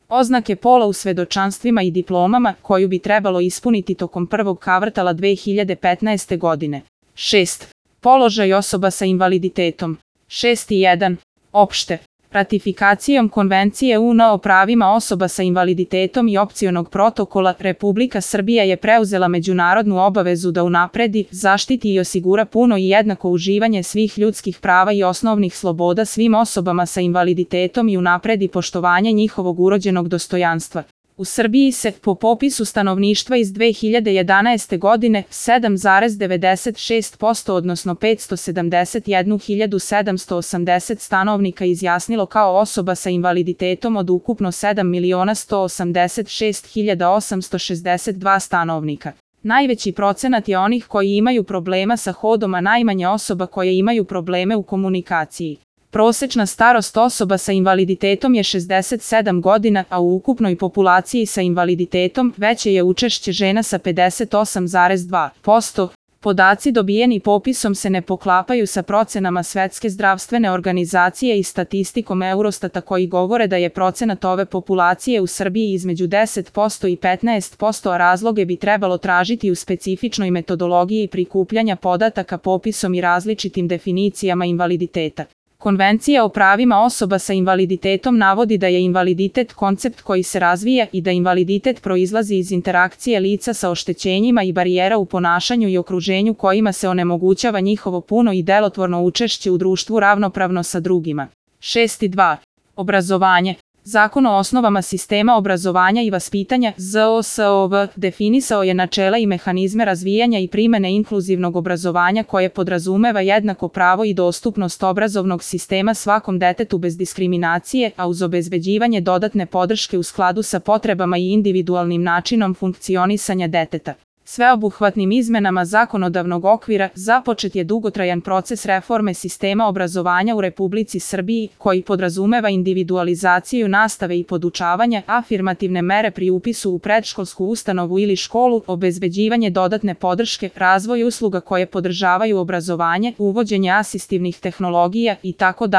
Oznake pola u svedočanstvima i diplomama koju bi trebalo ispuniti tokom prvog kvartala 2015. godine. 6. Položaj osoba sa invaliditetom. 6.1. Opšte. Ratifikacijom Konvencije UN o pravima osoba sa invaliditetom i opcionog protokola, Republika Srbija je preuzela međunarodnu obavezu da unapredi, zaštiti i osigura puno i jednako uživanje svih ljudskih prava i osnovnih sloboda svim osobama sa invaliditetom i unapredi poštovanje njihovog urođenog dostojanstva. U Srbiji se, po popisu stanovništva iz 2011. godine, 7,96% odnosno 571.780 stanovnika izjasnilo kao osoba sa invaliditetom od ukupno 7.186.862 stanovnika. Najveći procenat je onih koji imaju problema sa hodom, a najmanje osoba koje imaju probleme u komunikaciji. Prosečna starost osoba sa invaliditetom je 67 godina, a u ukupnoj populaciji sa invaliditetom veće je učešće žena sa 58,2%. Podaci dobijeni popisom se ne poklapaju sa procenama Svetske zdravstvene organizacije i statistikom Eurostata koji govore da je procenat ove populacije u Srbiji između 10% i 15%, a razloge bi trebalo tražiti u specifičnoj metodologiji prikupljanja podataka popisom i različitim definicijama invaliditeta. Konvencija o pravima osoba sa invaliditetom navodi da je invaliditet koncept koji se razvija i da invaliditet proizlazi iz interakcije lica sa oštećenjima i barijera u ponašanju i okruženju kojima se onemogućava njihovo puno i delotvorno učešće u društvu ravnopravno sa drugima. 6.2. Obrazovanje. Zakon o osnovama sistema obrazovanja i vaspitanja ZOSOV definisao je načela i mehanizme razvijanja i primene inkluzivnog obrazovanja koje podrazumeva jednako pravo i dostupnost obrazovnog sistema svakom detetu bez diskriminacije, a uz obezbeđivanje dodatne podrške u skladu sa potrebama i individualnim načinom funkcionisanja deteta. Sveobuhvatnim izmenama zakonodavnog okvira započet je dugotrajan proces reforme sistema obrazovanja u Republici Srbiji, koji podrazumeva individualizaciju nastave i podučavanja, afirmativne mere pri upisu u predškolsku ustanovu ili školu, obezbeđivanje dodatne podrške, razvoj usluga koje podržavaju obrazovanje, uvođenje asistivnih tehnologija itd.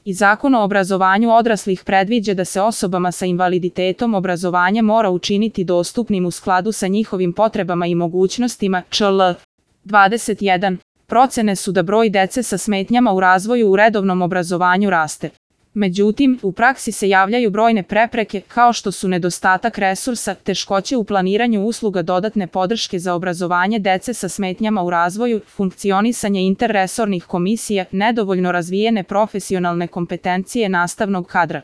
I Zakon o obrazovanju odraslih predviđa da se osobama sa invaliditetom obrazovanje mora učiniti dostupnim u skladu sa njihovim potrebama i mogućnostima. čl. 21. Procene su da broj dece sa smetnjama u razvoju u redovnom obrazovanju raste. Međutim, u praksi se javljaju brojne prepreke, kao što su nedostatak resursa, teškoće u planiranju usluga dodatne podrške za obrazovanje dece sa smetnjama u razvoju, funkcionisanje interresornih komisija, nedovoljno razvijene profesionalne kompetencije nastavnog kadra.